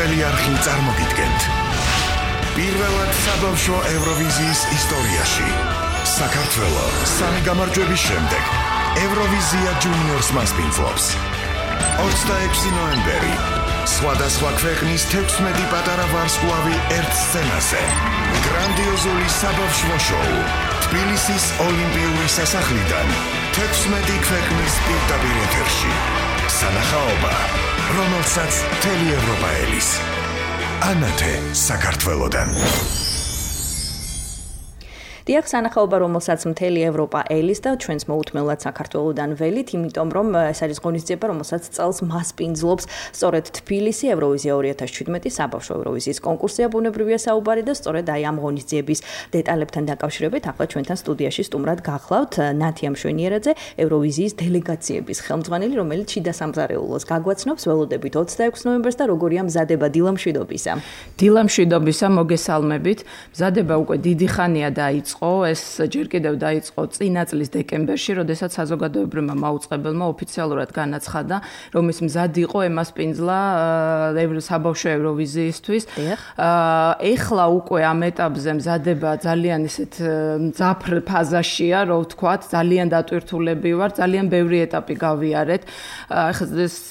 პირველი არხი წარმოგიდგენთ. პირველად საბავშვო ევროვიზიის ისტორიაში საქართველო სამი გამარჯვების შემდეგ ევროვიზია ჯუნიორს მასპინძლობს. 26 ნოემბერი სხვადასხვა ქვეყნის 16 პატარა ვარსკვლავი ერთ სცენაზე. გრანდიოზული საბავშვო შოუ თბილისის ოლიმპიური სასახლიდან 16 ქვეყნის პირდაპირ ეთერში. სანახაობა, რომელსაც მთელი ევროპა ელის. ანათე საქართველოდან. დიახ, სანახაობა, რომელსაც მთელი ევროპა ელის და ჩვენს მოუთმენლად საქართველოდან ველით, იმიტომ რომ ეს არის ღონისძიება, რომელსაც წელს მასპინძლობს სწორედ თბილისი ევროვიზია 2017 საბავშვო ევროვიზიის კონკურსია ბუნებრივია საუბარი და სწორედ აი ამ ღონისძიების დეტალებთან დაკავშირებით ახლა ჩვენთან სტუდიაში სტუმრად გახლავთ ნათი ამშვენიერაძე, ევროვიზიის დელეგაციების ხელმძღვანელი, რომელიც შიდა სამზარეულოს გაგვაცნობს. ველოდებით 26 ნოემბერს და როგორია მზადება დილამშვიდობისა. დილამშვიდობისა, მოგესალმებით. მზადება უკვე დიდი ხანია დაიწყო. ეს ჯერ კიდევ დაიწყო წინა წლის დეკემბერში, როდესაც საზოგადოებრივმა მაუწყებელმა ოფიციალურად განაცხადა, რომ ის მზად იყო ემასპინძლა საბავშვო ევროვიზიისთვის. ეხლა უკვე ამ ეტაპზე მზადება ძალიან ისეთ მძაფრ ფაზაშია, რო ვთქვათ, ძალიან დატვირთულები ვარ, ძალიან ბევრი ეტაპი გავიარეთ.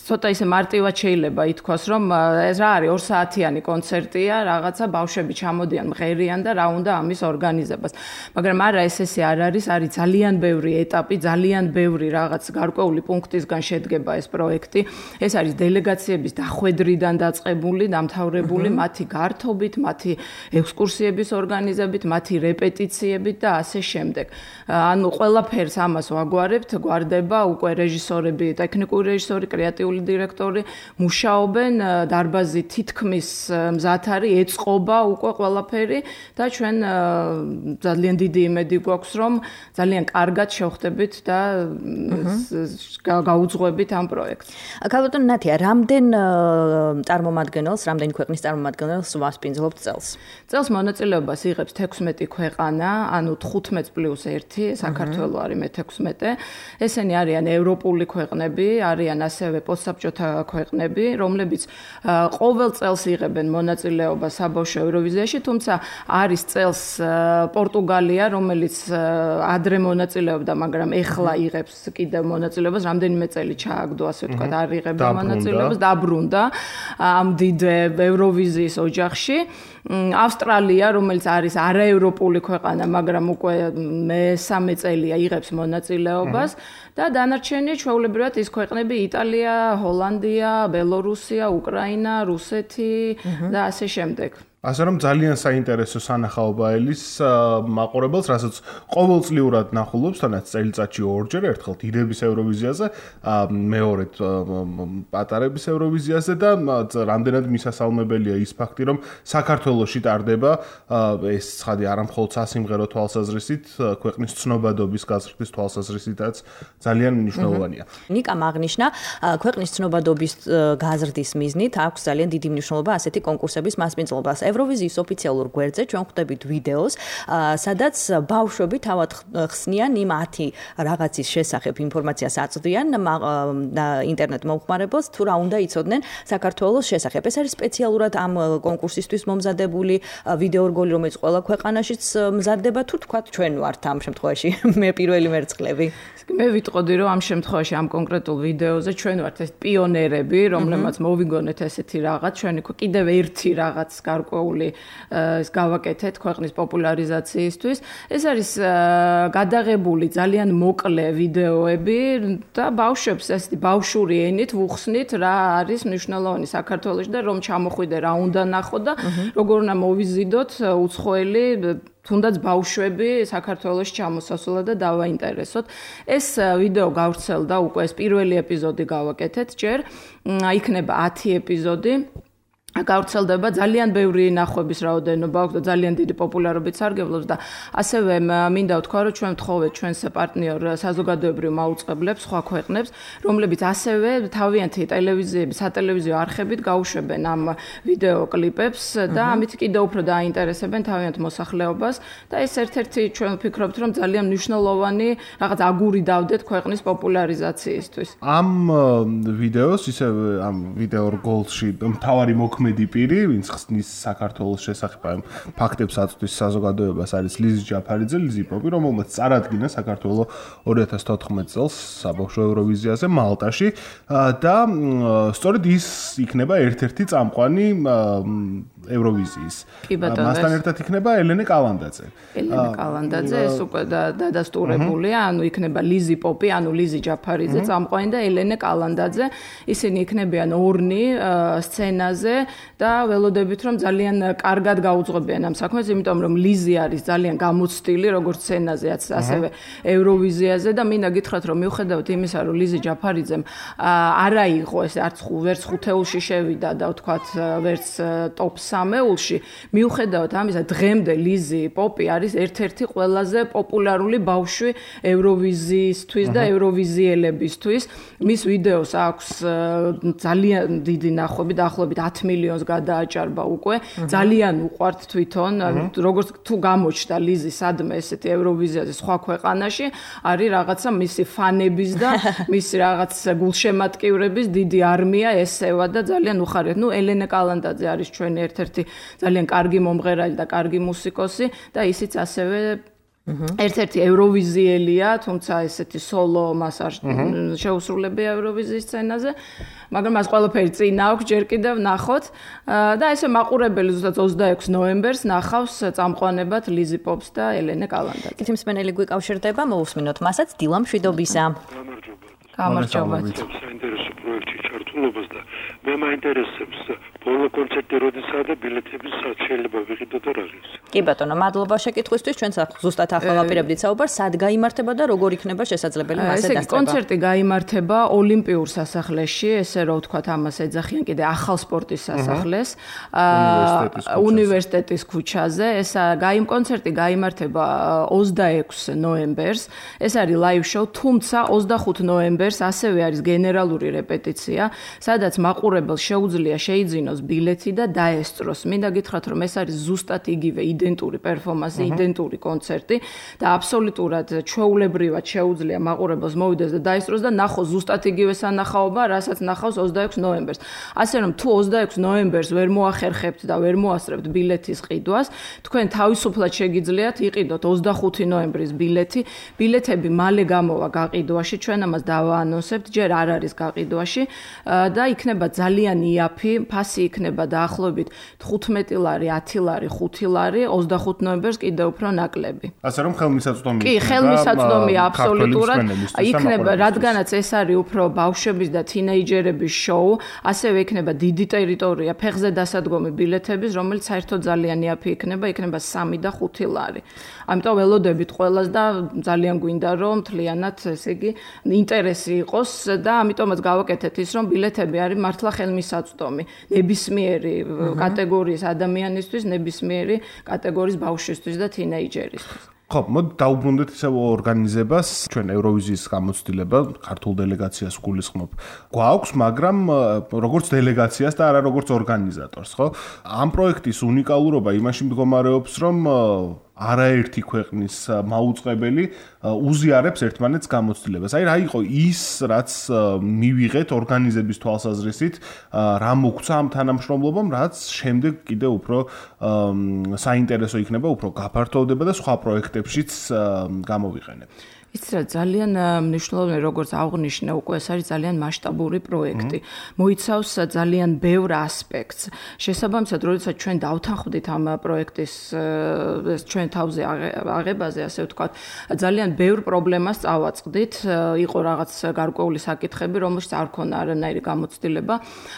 ცოტა ისე მარტივად შეიძლება ითქვას, რომ ეს რა არის 2 საათიანი კონცერტია, რაღაცა ბავშვები ჩამოდიან, მღერიან და რა უნდა ამის ორგანიზებას. მაგრამ არა, ესე არ არის ძალიან ბევრი ეტაპი, ძალიან ბევრი რაღაც გარკვეული პუნქტისგან შედგება ეს პროექტი. ეს არის დელეგაციების დახვედრიდან დაწყებული, დამთავრებული, მათი გართობით, მათი ექსკურსიების ორგანიზებით, მათი რეპეტიციებით და ასე შემდეგ. ანუ ყველაფერს ამას ვაგვარებთ, გვარდება უკვე რეჟისორები, ტექნიკური რეჟისორი, კრეატიული დირექტორი მუშაობენ, დარბაზი თითქმის მზად არის, ეწყობა უკვე ყველაფერი და ჩვენ ძალიან დიდი იმედი გვაქვს, რომ ძალიან კარგად შევხვდებით და გაუძღვებით ამ პროექტს. ქალბატონო ნათია, რამდენ წარმომადგენელს, რამდენი ქვეყნის წარმომადგენელს ვასპინძლობთ წელს? წელს მონაწილეობას იღებს 16 ქვეყანა, ანუ 15+1, საქართველო არის მე-16. ესენი არიან ევროპული ქვეყნები, არიან ასევე პოსტსაბჭოთა ქვეყნები, რომლებიც ყოველ წელს იღებენ მონაწილეობას საბავშვო ევროვიზიაში, თუმცა არის წელს პორტუგალია, რომელიც ადრე მონაწილეობდა, მაგრამ ეხლა იღებს კიდევ მონაწილეობას, რამდენიმე წელი ჩააგდო, ასე ვთქვათ, არ იღებდა მონაწილეობას, დაბრუნდა ამ დიდ ევროვიზიის ოჯახში. ავსტრალია, რომელიც არის არაევროპული ქვეყანა, მაგრამ უკვე მე-3 წელია იღებს მონაწილეობას და დანარჩენი ჩვეულებრივად ის ქვეყნები იტალია, ჰოლანდია, ბელორუსია, უკრაინა, რუსეთი და ასე შემდეგ. ასე რომ ძალიან საინტერესო სანახაობა ელის მაყურებელს, რასაც ყოველწლიურად ნახულობს, თანაც წელიწადში 2-ჯერ, ერთხელ დიდების ევროვიზიაზე, მეორედ პატარების ევროვიზიაზე და რამდენად მისასალმებელია ის ფაქტი, რომ საქართველოში ტარდება ეს ცხადი არა მხოლოდ სასიმღერო თვალსაზრისით, ქვეყნის ცნობადობის გაზრდის თვალსაზრისითაც ძალიან მნიშვნელოვანია. ნიკამ აღნიშნა, ქვეყნის ცნობადობის გაზრდის მიზნით აქვს ძალიან დიდი მნიშვნელობა ასეთი კონკურსების მასპინძლობას. ევროვიზიის ოფიციალურ გვერდზე ჩვენ ხვდებით ვიდეოს, სადაც ბავშვები თავად ხსნიან იმ 10 რაღაცის შესახებ ინფორმაციას აწვდიან ინტერნეტ მომხმარებელს, თუ რა უნდა იცოდნენ საქართველოს შესახებ. ეს არის სპეციალურად ამ კონკურსისთვის მომზადებული ვიდეორგოლი, რომელიც ყველა ქვეყანაშიც მზადდება, თუ თქვათ ჩვენ ვართ ამ შემთხვევაში მე პირველი მერცხლები. მე ვიტყოდი, რომ ამ შემთხვევაში ამ კონკრეტულ ვიდეოზე ჩვენ ვართ ეს პიონერები, რომლებმაც მოვიგონეთ ესეთი რაღაც, ჩვენ კიდევ ერთი რაღაც გარკვეული ეს გავაკეთეთ ქვეყნის პოპულარიზაციისთვის. ეს არის გადაღებული ძალიან მოკლე ვიდეოები და ბავშვებს ესეთი ბავშვური ენით ვუხსნით რა არის მნიშვნელოვანი საქართველოში და რომ ჩამოხვიდე რა უნდა ნახო და როგორ უნდა მოვიზიდოთ უცხოელი თუნდაც ბავშვები საქართველოში ჩამოსასვლელად და დავაინტერესოთ. ეს ვიდეო გავრცელდა უკვე ეს პირველი ეპიზოდი გავაკეთეთ ჯერ, იქნება 10 ეპიზოდი. გავრცელდება ძალიან ბევრი ნახვების რაოდენობა აქვს და ძალიან დიდი პოპულარობით სარგებლობს და ასევე მინდა ვთქვა, რომ ჩვენ ვთხოვეთ ჩვენს პარტნიორ საზოგადოებრივ მაუწყებლებს სხვა ქვეყნებს, რომლებიც ასევე თავიანთი ტელევიზიების, სატელევიზიო არხებით გაუშვებენ ამ ვიდეო კლიპებს და ამით კიდევ უფრო დააინტერესებენ თავიანთ მოსახლეობას და ეს ერთ-ერთი ჩვენ ვფიქრობთ, რომ ძალიან მნიშვნელოვანი რაღაც აგური დავდეთ ქვეყნის პოპულარიზაციისთვის. ამ ვიდეოს ისე ამ ვიდეო რგოლში მთავარი მოქმედი მოქმედი პირი, ვინც ხსნის საქართველოს შესახებ ამ ფაქტებს აწვდის საზოგადოებას, არის ლიზი ჯაფარიძე, ლიზი პოპი, რომელმაც წარადგინა საქართველოს 2014 წელს საბავშვო ევროვიზიაზე მალტაში და სწორედ ის იქნება ერთ-ერთი წამყვანი ევროვიზიის. მასთან ერთად იქნება ელენე კალანდაძე. ელენე კალანდაძე ეს უკვე დადასტურებულია, ანუ იქნება ლიზი პოპი, ანუ ლიზი ჯაფარიძე წამყვანი და ელენე კალანდაძე. ისინი იქნებიან ორნი სცენაზე და ველოდებით რომ ძალიან კარგად გაუძღვებიან ამ საქმეს, იმიტომ რომ ლიზი არის ძალიან გამოცდილი როგორც სცენაზე, ასევე ევროვიზიაზე და მინდა გითხრათ რომ მიუხედავად იმისა რომ ლიზი ჯაფარიძემ არ აიღო ეს ვერც ხუთეულში შევიდა და ვთქვათ ვერც ტოპ 3-ში, მიუხედავად ამისა დღემდე ლიზი პოპი არის ერთ-ერთი ყველაზე პოპულარული ბავშვი ევროვიზიისთვის და ევროვიზიელებისთვის. მის ვიდეოს აქვს ძალიან დიდი ნახვები, დაახლოებით 10 მილიონს გადააჭარბა უკვე. ძალიან უყვართ თვითონ, როგორც თუ გამოჩნდა ლიზი სადმე ესეთი ევროვიზიაზე სხვა ქვეყანაში, არის რაღაცა მისი ფანების და მისი რაღაც გულშემატკივრების დიდი არმია ესევა და ძალიან უხარიათ. ელენე კალანდაძე არის ჩვენი ერთ-ერთი ძალიან კარგი მომღერალი და კარგი მუსიკოსი და ისიც ასევე ერთ-ერთი ევროვიზიელია, თუმცა ესეთი სოლო მას არ შეუსრულებია ევროვიზიის სცენაზე, მაგრამ მას ყველაფერი წინ აქვს, ჯერ კიდევ ნახოთ და ესე მაყურებელი ზუსტად 26 ნოემბერს ნახავს წამყვანებად ლიზი პოპს და ელენე კალანდაძე. კითხვის მსმენელი გვიკავშირდება, მოვუსმინოთ მასაც დილა მშვიდობისა. გამარჯობა. საინტერესო პროექტში ჩართულობას და მე მაინტერესებს ბოლო კონცერტი როდესაა და ბილეთების სად შეიძლება ვიყიდო და რა ღირს. კი ბატონო, მადლობა შეკითხვისთვის. ჩვენ ზუსტად ახლა ვაპირებდით საუბარს, სად გაიმართება და როგორ იქნება შესაძლებელი მასზე დასწრება. კონცერტი გაიმართება ოლიმპიურ სასახლეში, ესე რომ ვთქვათ, ამას ეძახიან კიდე ახალ სპორტის სასახლეს, უნივერსიტეტის ქუჩაზე. ეს კონცერტი გაიმართება 26 ნოემბერს. ეს არის ლაივ შოუ, თუმცა 25 ნოემბერს ასევე არის გენერალური რეპეტიცია, სადაც მაყურებელს შეუძლია შეიძინოს ბილეთი და დაესწროს. მინდა გითხრათ, რომ ეს არის ზუსტად იგივე იდენტური პერფორმანსი, იდენტური კონცერტი და აბსოლუტურად ჩვეულებრივად შეუძლია მაყურებელს მოვიდეს და დაესწროს და ნახოს ზუსტად იგივე სანახაობა, რასაც ნახავს 26 ნოემბერს. ასე რომ თუ 26 ნოემბერს ვერ მოახერხებთ და ვერ მოასწრებთ ბილეთის ყიდვას, თქვენ თავისუფლად შეგიძლიათ იყიდოთ 25 ნოემბრის ბილეთი. ბილეთები მალე გამოვა გაყიდვაში, ჩვენ ამას დავაანონსებთ, ჯერ არ არის გაყიდვაში და იქნება ძალიან იაფი ფასი იქნება დაახლოებით 15 ლარი, 10 ლარი, 5 ლარი, 25 ნოემბერს კიდევ უფრო ნაკლები. ასე რომ ხელმისაწვდომი კი, ხელმისაწვდომია აბსოლუტურად. იქნება, რადგანაც ეს არის უფრო ბავშვების და თინეიჯერების შოუ, ასევე იქნება დიდი ტერიტორია, ფეხზე დასადგომი ბილეთების, რომელიც საერთოდ ძალიან იაფი იქნება 3 და 5 ლარი. ამიტომ ველოდებით ყველას და ძალიან გვინდა რომ მთლიანად, ესე იგი, ინტერესი იყოს და ამიტომაც გავაკეთეთ ის, რომ ბილეთები არის მართლა ხელმისაწვდომი. ნებისმიერი კატეგორიის ადამიანისთვის, ნებისმიერი კატეგორიის ბავშვისთვის და თინეიჯერისთვის. ხო, მოდი დაუბრუნდეთ ისევ ორგანიზებას, ჩვენ ევროვიზიის გამოცდილება, ქართულ დელეგაციას გულისხმობ. გვაქვს, მაგრამ როგორც დელეგაციას და არა როგორც ორგანიზატორს, ხო? ამ პროექტის უნიკალურობა იმაში მდგომარეობს, რომ არაერთი ქვეყნის მაუწყებელი უზიარებს ერთმანეთს გამოცდილებას. აი რა იყო ის, რაც მივიღეთ ორგანიზების თვალსაზრისით, რა მოგცა ამ თანამშრომლობამ, რაც შემდეგ კიდე უფრო საინტერესო იქნება, უფრო გაფართოვდება და სხვა პროექტებშიც გამოვიყენებთ. იცით რა, ძალიან მნიშვნელოვანია, როგორც აღნიშნე, უკვე ეს არის ძალიან მასშტაბური პროექტი. მოიცავს ძალიან ბევრ ასპექტს. შესაბამისად, როდესაც ჩვენ დავთანხმდით ამ პროექტის ჩვენ თავზე აღებაზე, ასე ვთქვათ, ძალიან ბევრ პრობლემას წავაწყდით. იყო რაღაც გარკვეული საკითხები, რომელშიც არ ქონა არანაირი გამოცდილება.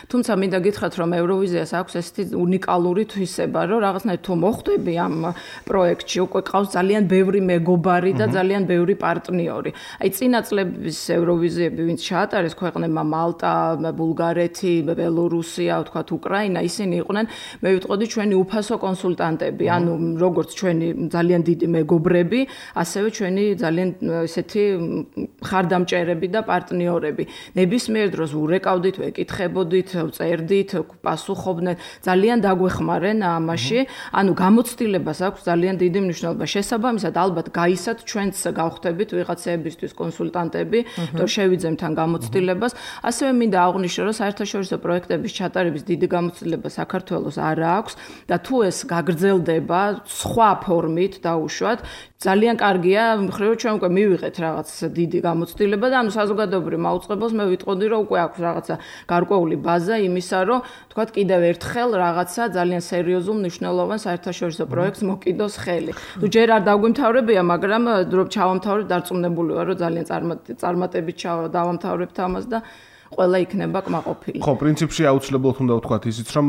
თუმცა მინდა გითხრათ, რომ ევროვიზიას აქვს ესეთი უნიკალური თვისება, რომ რაღაცნაირად თუ მოხვდები ამ პროექტში, უკვე ყავს ძალიან ბევრი მეგობარი და ძალიან ბევრი პარტნიორი. აი წინა წლების ევროვიზიები, ვინც ჩაატარეს ქვეყნებმა მალტა, ბულგარეთი, ბელორუსია, ვთქვათ, უკრაინა, ისინი იყვნენ, მე ვიტყოდი, ჩვენი უფასო კონსულტანტები, ანუ როგორც ჩვენი ძალიან დიდი მეგობრები, ასევე ჩვენი ძალიან ესეთი ხარდამჭერები და პარტნიორები. ნებისმიერ დროს ურეკავდით, ვეკითხებოდით, წერდით, პასუხობდნენ, ძალიან დაგვეხმარენ ამაში. ანუ გამოცდილებას აქვს ძალიან დიდი მნიშვნელობა. შესაბამისად, ალბათ გაისად ჩვენც გავხდებით ვიღაცებისთვის კონსულტანტები, რომ შევიძემთ თან გამოცდილებას. ასევე მინდა აღვნიშნო, რომ საერთაშორისო პროექტების ჩატარების დიდი გამოცდილება საქართველოს არ აქვს და თუ ეს გაგრძელდება სხვა ფორმით დაუშვათ, ძალიან კარგია, მხრივ ჩვენ უკვე მივიღეთ რაღაც დიდი გამოცდილება და ანუ საზოგადოებრივ მაუწყებელს მე ვიტყოდი, რომ უკვე აქვს რაღაცა გარკვეული ბაზა იმისა, რომ თქვათ კიდევ ერთხელ რაღაცა ძალიან სერიოზულ მნიშვნელოვან საერთაშორისო პროექტს მოკიდოს ხელი. თუ ჯერ არ დაგვიმთავრებია, მაგრამ რომ ჩავამთავრებთ, დარწმუნებული ვარ, რომ ძალიან წარმატებით დავამთავრებთ ამას და ყველა იქნება კმაყოფილი. ხო, პრინციპში აუცილებლად უნდა ვთქვათ ისიც, რომ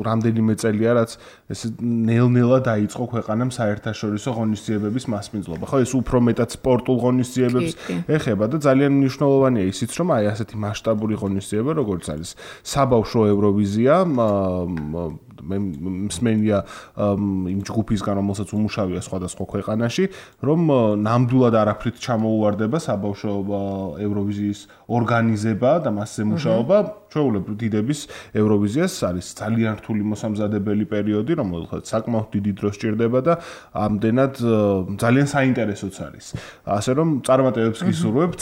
რამდენიმე წელია, რაც ეს ნელ-ნელა დაიწყო ქვეყანამ საერთაშორისო ღონისძიებების მასპინძლობა. ხო, ეს უფრო მეტად სპორტულ ღონისძიებებს ეხება და ძალიან მნიშვნელოვანია ისიც, რომ აი ასეთი მასშტაბური ღონისძიება, როგორც არის საბავშვო ევროვიზია, მე მსმენია იმ ჯგუფისგან, რომელსაც უმუშავია სხვადასხვა ქვეყანაში, რომ ნამდვილად არაფრით ჩამოუვარდება საბავშვო ევროვიზიის ორგანიზება და მასზე მუშაობა. ჩვეულებრივ დიდების ევროვიზიას არის ძალიან რთული მოსამზადებელი პერიოდი, რომელსაც საკმაოდ დიდი დრო სჭირდება და ამდენად ძალიან საინტერესოც არის. ასე რომ წარმატებებს გისურვებთ.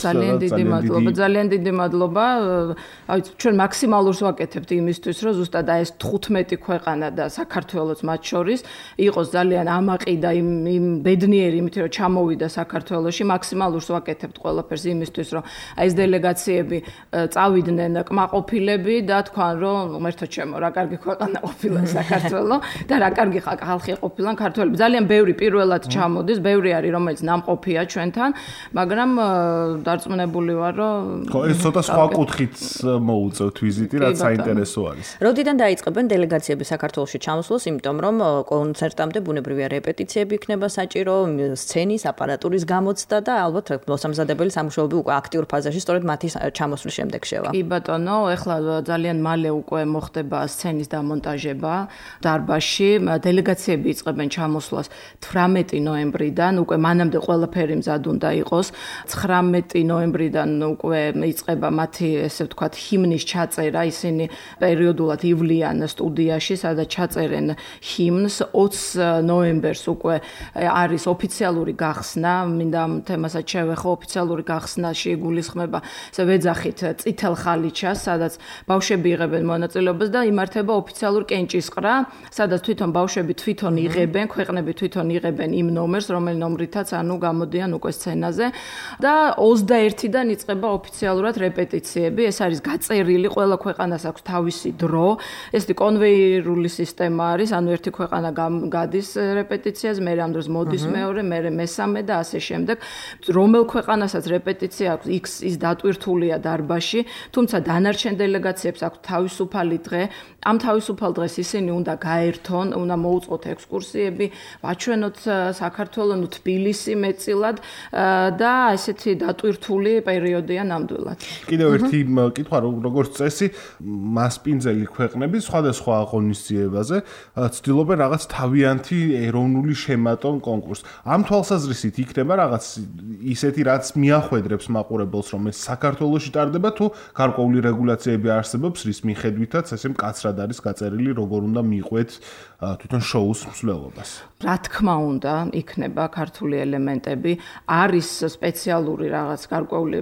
ძალიან დიდი მადლობა. აი ჩვენ მაქსიმალურს ვაკეთებთ იმისთვის, რომ ზუსტად ეს 15 ქვეყანა და საქართველოს მათ შორის იყოს ძალიან ამაყი და იმ ბედნიერი იმით, რომ ჩამოვიდა საქართველოში, მაქსიმალურს ვაკეთებთ ყველაფერს იმისთვის, რომ აი ეს დელეგაციები წავიდნენ კმაყოფილები და თქვან, რომ ღმერთო ჩემო, რა კარგი ქვეყანა ყოფილა საქართველო და რა კარგი ხალხი ყოფილა ქართველები. ძალიან ბევრი პირველად ჩამოდის, ბევრი არის, რომელიც ნამყოფია ჩვენთან, მაგრამ დარწმუნებული ვარ, რომ ხო, ეს ცოტა სხვა კუთხით მოუწევთ ვიზიტი, რაც საინტერესო არის. როდიდან დაიწყებენ დელეგაციები საქართველოში ჩამოსვლას, იმიტომ რომ კონცერტამდე ბუნებრივია რეპეტიციები იქნება საჭირო, სცენის, აპარატურის გამოცდა და ალბათ მოსამზადებელი სამუშაოები უკვე აქტიურ ფაზაში სწორედ მათი ჩამოსვლის შემდეგ შევა. კი ბატონო, ეხლა ძალიან მალე უკვე მოხდება სცენის დამონტაჟება დარბაზში. დელეგაციები იწყებენ ჩამოსვლას 18 ნოემბრიდან, უკვე მანამდე ყველაფერი მზად უნდა იყოს. 19 ნოემბრიდან უკვე იწყება მათი, ესე ვთქვათ, ჰიმნის ჩაწერა. ისინი პერიოდულად ივლიან სტუდიაში, სადაც ჩაწერენ ჰიმნს. 20 ნოემბერს უკვე არის ოფიციალური გახსნა. მინდა ამ თემასაც შევეხო, ოფიციალური გახსნაში იგულისხმება ვეძახით წითელ ხალიჩას, სადაც ბავშვები იღებენ მონაწილეობას და იმართება ოფიციალურ კენჭისყრა, სადაც თვითონ ბავშვები თვითონ იღებენ, ქვეყნები თვითონ იღებენ იმ ნომერს, რომელ ნომრითაც ანუ გამოდიან უკვე სცენაზე და 21-დან იწყება ოფიციალურად რეპეტიციები. ეს არის გაწერილი, ყველა ქვეყანას აქვს თავისი დრო. ეს კონვეიერული სისტემა არის, ანუ ერთი ქვეყანა გადის რეპეტიციაზე, მე ამ დროს მოდის მეორე, მე მესამე და ასე შემდეგ. რომელ ქვეყანასაც რეპეტიცია აქვს, ის დატვირთულია დარბაზში, თუმცა დანარჩენ დელეგაციებს აქვს თავისუფალი დღე. ამ თავისუფალ დღეს ისინი უნდა გაერთონ, უნდა მოუწყოთ ექსკურსიები, ვაჩვენოთ საქართველოს, თბილისი მეტწილად და ესეთი დატვირთული პერიოდია ნამდვილად. კიდევ ერთი კითხვა, როგორც წესი, მასპინძელი ქვეყნები სხვადასხვა ღონისძიებაზე ცდილობენ რაღაც თავიანთი ეროვნული შემატონ კონკურსს. ამ თვალსაზრისით იქნება რაღაც ისეთი, რაც მიახვედრებს მაყურებელს, რომ ეს საქართველოში ტარდება თუ გარკვეული რეგულაციები არსებობს, რის მიხედვითაც ესე მკაცრად არის გაწერილი, როგორ უნდა მიყვეთ თვითონ შოუს მსვლელობას. რა თქმა უნდა, იქნება ქართული ელემენტები, არის სპეციალური რაღაც გარკვეული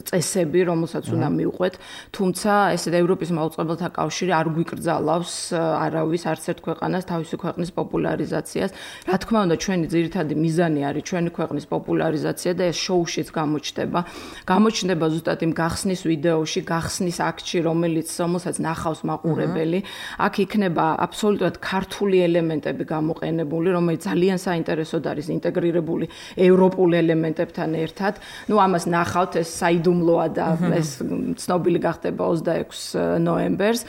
წესები, რომელსაც უნდა მიყვეთ, თუმცა ესეთ ევროპის მაუწყებელთა კავშირი არ გვიკრძალავს არავის არც ერთ ქვეყანას თავისი ქვეყნის პოპულარიზაციას. რა თქმა უნდა, ჩვენი ძირითადი მიზანი არის ჩვენი ქვეყნის პოპულარიზაცია და ეს შოუშიც გამოჩნდება. გამოჩნდება ზუსტად იმ გახსნის ვიდეოში, გახსნის აქტში, რომელსაც ნახავს მაყურებელი. აქ იქნება აბსოლუტურად ქართული ელემენტები გამოყენებული, რომელიც ძალიან საინტერესოდ არის ინტეგრირებული ევროპულ ელემენტებთან ერთად. ნუ ამას ნახავთ, ეს საიდუმლოა და ეს ცნობილი გახდება 26 ნოემბერს.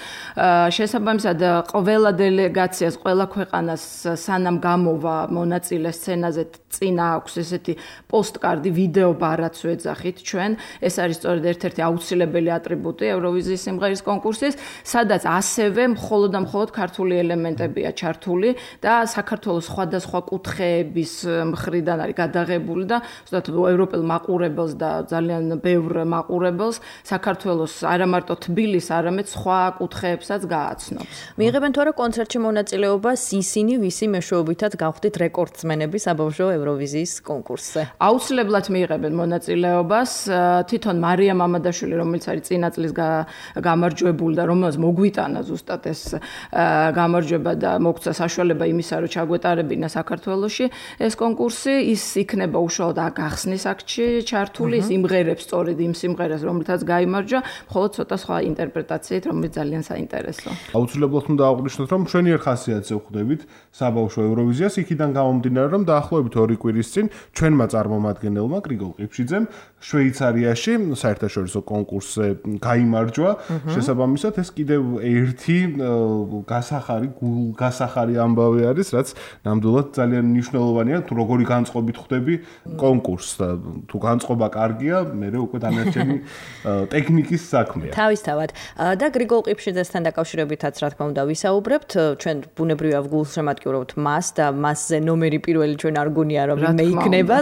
შესაბამისად, ყველა დელეგაციას, ყველა ქვეყანას სანამ გამოვა მონაწილე სცენაზე წინა აქვს ესეთი პოსტკარდი, ვიდეო ბარაც ვეძახით ჩვენ. ეს არის სწორედ ერთ-ერთი აუცილებელი ატრიბუტი ევროვიზიის ევროვიზიის სიმღერის კონკურსის, სადაც ასევე მხოლოდ და მხოლოდ ქართული ელემენტებია ჩართული და საქართველოს სხვადასხვა კუთხეების მხრიდან არის გადაღებული და ზუსტად ევროპელ მაყურებელს და ძალიან ბევრ მაყურებელს საქართველოს არა მარტო თბილის, არამედ სხვა კუთხეებსაც გააცნობს. მიიღებენ თუ არა კონცერტში მონაწილეობას ისინი, ვისი მეშვეობითაც გავხდით რეკორდსმენები საბავშვო ევროვიზიის კონკურსზე? აუცილებლად მიიღებენ მონაწილეობას. თვითონ მარია მამადაშვილი, რომელიც არის წინა წლის გამარჯვებული და რომელსაც მოგვიტანა ზუსტად ეს გამარჯვება და მოგცა საშუალება იმისა, რომ ჩაგვეტარებინა საქართველოში ეს კონკურსი, ის იქნება უშუალოდ გახსნის აქტში ჩართული, ის იმღერებს სწორედ იმ სიმღერას, რომელთაც გაიმარჯვა, მხოლოდ ცოტა სხვა ინტერპრეტაციით, რომელიც ძალიან საინტერესო. აუცილებლად უნდა აღვნიშნოთ, რომ მშვენიერ ხასიათზე ვხვდებით საბავშვო ევროვიზიას, იქიდან გამომდინარე, რომ დაახლოებით 2 კვირის წინ ჩვენმა წარმომადგენელმა გრიგოლ ყიფშიძემ შვეიცარიაში საერთაშორისო კონკურსზე გაიმარჯვა. შესაბამისად, ეს კიდევ ერთი გასახარი ამბავი არის, რაც ნამდვილად ძალიან მნიშვნელოვანია, თუ როგორი განწყობით ხვდები კონკურსს და თუ განწყობა კარგია, მერე უკვე დანარჩენი ტექნიკის საქმეა. თავისთავად. და გრიგოლ ყიფშიძესთან დაკავშირებითაც რა თქმა უნდა ვისაუბრებთ, ჩვენ ბუნებრივია გულშემატკივრობთ მას და მასზე ნომერი პირველი ჩვენ არ გონია რომ მე იქნება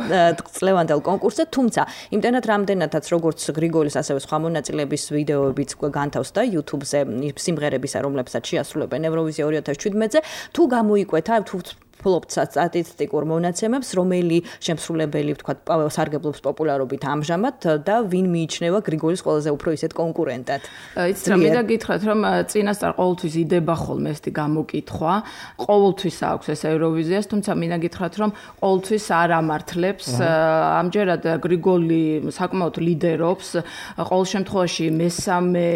წლევანდელ კონკურსზე, თუმცა იმდენად რამდენადაც როგორც გრიგოლის ასევე სხვა მონაწილეების ვიდეოებიც განთავს და YouTube-ზე სიმღერებისა, რომლებსაც შეასრულებენ ევროვიზია 2017-ზე, თუ გამოიკვეთა თუ ფლობთ სტატისტიკურ მონაცემებს, რომელი შემსრულებელი, ვთქვათ, სარგებლობს პოპულარობით ამჟამად და ვინ მიიჩნევა გრიგოლის ყველაზე უფრო ისეთ კონკურენტად. იცით რა, მინდა გითხრათ, რომ წინასწარ ყოველთვის იდება ხოლმე ესეთი გამოკითხვა, ყოველთვის აქვს ეს ევროვიზიას, თუმცა მინდა გითხრათ, რომ ყოველთვის არ ამართლებს. ამჯერად გრიგოლი საკმაოდ ლიდერობს, ყოველ შემთხვევაში მესამე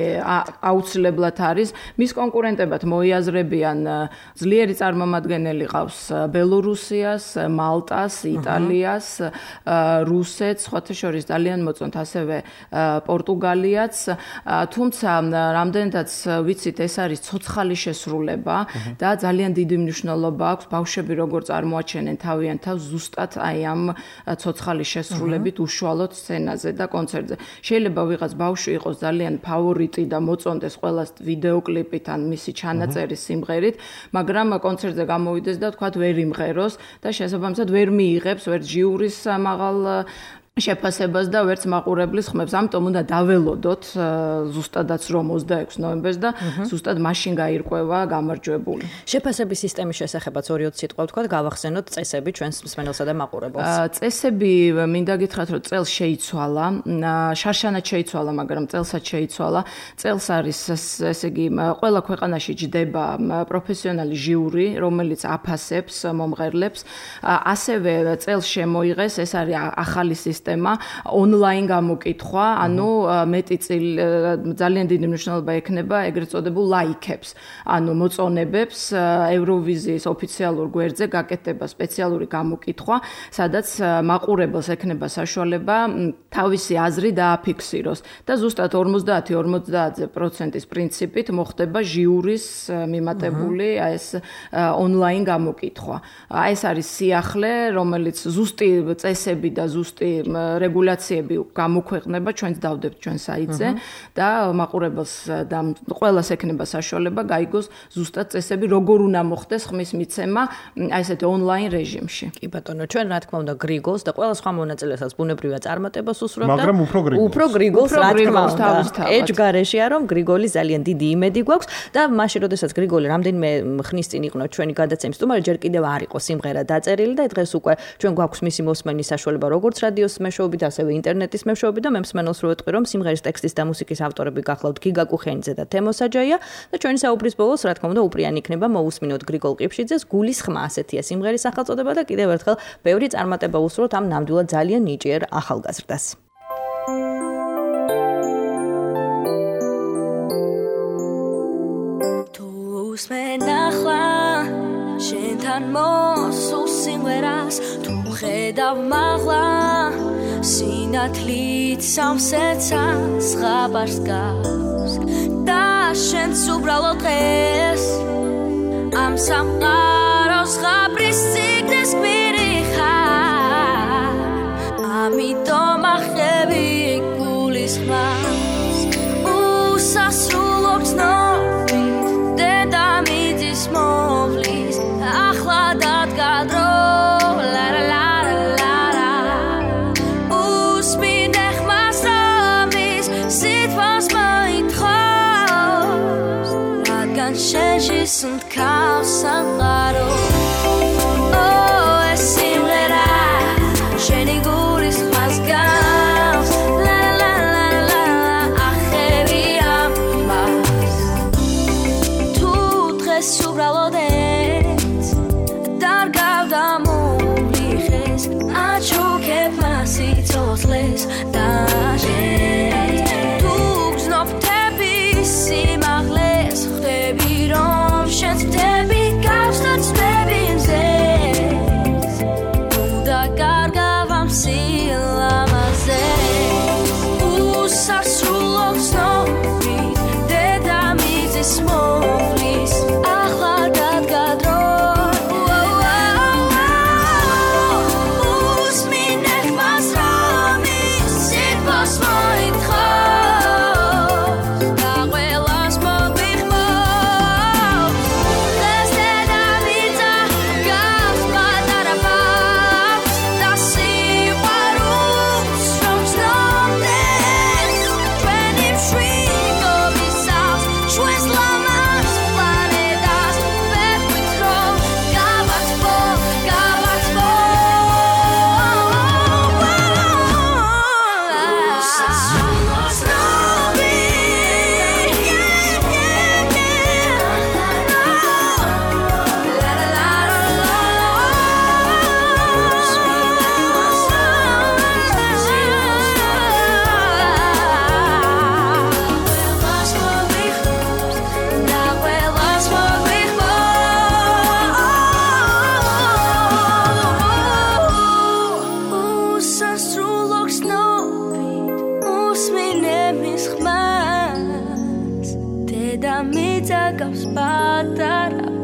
აუცილებლად არის. მის კონკურენტებად მოიაზრებიან ძლიერი წარმომადგენელი ყავს ბელორუსიას, მალტას, იტალიას, რუსეთს, სხვათა შორის ძალიან მოწონთ ასევე პორტუგალიაც, თუმცა რამდენადაც ვიცით, ეს არის ცოცხალი შესრულება და ძალიან დიდი მნიშვნელობა აქვს ბავშვები როგორ წარმოაჩენენ თავიანთ თავს ზუსტად აი ამ ცოცხალი შესრულებით უშუალოდ სცენაზე და კონცერტზე. შეიძლება ვიღაც ბავშვი იყოს ძალიან ფავორიტი და მოწონდეს ყველას ვიდეოკლიპით ან მისი ჩანაწერის სიმღერით, მაგრამ კონცერტზე გამოვიდეს და თქვა ვერ იმღეროს და შესაბამისად ვერ მიიღებს ვერც ჟიურის მაღალ შეფასებას და ვერც მაყურებლის ხმებს. ამიტომ უნდა დაველოდოთ ზუსტადაც რომ 26 ნოემბერს და ზუსტად მაშინ გაირკვევა გამარჯვებული. შეფასების სისტემის შესახებაც 2-3 სიტყვა ვთქვათ, გავახსენოთ წესები ჩვენს მსმენელსა და მაყურებელს. წესები მინდა გითხრათ, რომ წელს შეიცვალა, შარშანად შეიცვალა, მაგრამ წელსაც შეიცვალა. წელს არის ესე იგი ყველა ქვეყანაში ჯდება პროფესიონალი ჟიური, რომელიც აფასებს მომღერლებს. ასევე წელს შემოიღეს, ეს არის ახალი სისტემა, ონლაინ გამოკითხვა, ანუ მეტი ძალიან დიდი მნიშვნელობა ექნება ეგრეთ წოდებულ ლაიქებს, ანუ მოწონებებს ევროვიზიის ოფიციალურ გვერდზე გაკეთდება სპეციალური გამოკითხვა, სადაც მაყურებელს ექნება საშუალება თავისი აზრი დააფიქსიროს და ზუსტად 50-50%-ის პრინციპით მოხდება ჟიურის მიმატებული ეს ონლაინ გამოკითხვა. ეს არის სიახლე, რომელიც ზუსტი წესები და ზუსტი რეგულაციები გამოქვეყნება ჩვენს დავდებთ ჩვენ საიტზე და მაყურებელს და ყველას ექნება საშუალება გაიგოს ზუსტად წესები როგორ უნდა მოხდეს ხმის მიცემა აი ესეთი ონლაინ რეჟიმში. კი ბატონო, ჩვენ რა თქმა უნდა გრიგოლს და ყველა სხვა მონაწილესაც ბუნებრივია წარმატებას უსურვებთ და მაგრამ უფრო გრიგოლს რა თქმა უნდა ეჯგარეშია რომ გრიგოლის ძალიან დიდი იმედი გვაქვს და მაშინ როდესაც გრიგოლი რამდენიმე ხნის წინ იყო ჩვენი გადაცემის სტუმარი, ჯერ კიდევ არ იყო სიმღერა დაწერილი და დღეს უკვე ჩვენ გვაქვს მისი მოსმენის საშუალება როგორც რადიოს მეშვეობით, ასევე ინტერნეტის მეშვეობით და მე მსმენელს რო ვეტყვი, რომ სიმღერის ტექსტის და მუსიკის ავტორები გახლავთ გიგა კუხენიძე და თემო საჯაია და ჩვენი საუბრის ბოლოს რა თქმა უნდა უპრიანი იქნება მოусმინოთ გრიგოლ ყიფშიძეს გულის ხმა, ასეთია სიმღერის სახელწოდება და კიდევ ერთხელ ბევრი წარმატება უსურვოთ ამ ნამდვილად ძალიან ნიჭიერ ახალგაზრდას. თუ უსმენახლა შენთან მოსულ სიმღერას თუ ხედავ მაღლა სინათლით სამსეცას ხაბარს გავს და შენც უბრალოდ დღეს ამ სამყაროს ღაბრის სიგნეს გვირი ხარ ამიტომ ახები გულის ხმას უსას Regis und Chaos am Rado Oh, es simrera Sheni guris mazgals La la la la la Acheri ambas Tu tres subralodet Dargav damubliches Achukep masitosles Dajet Tu gznoptebi simachles Chtebe rom shens chtebe kavstat chtebe inzes Uda gargavam silamazes Usasrulok snovi Deda mizis movlis Achladat gadroi Usminech masramis Sitbos moitcho Daguelas mobichmo Desde Davidza Gavs badarabavs Dasi warus From snowdens Twenim shrigo visavs Shwes lamas planetas Bet vitro Gavats bo Gavs badarabavs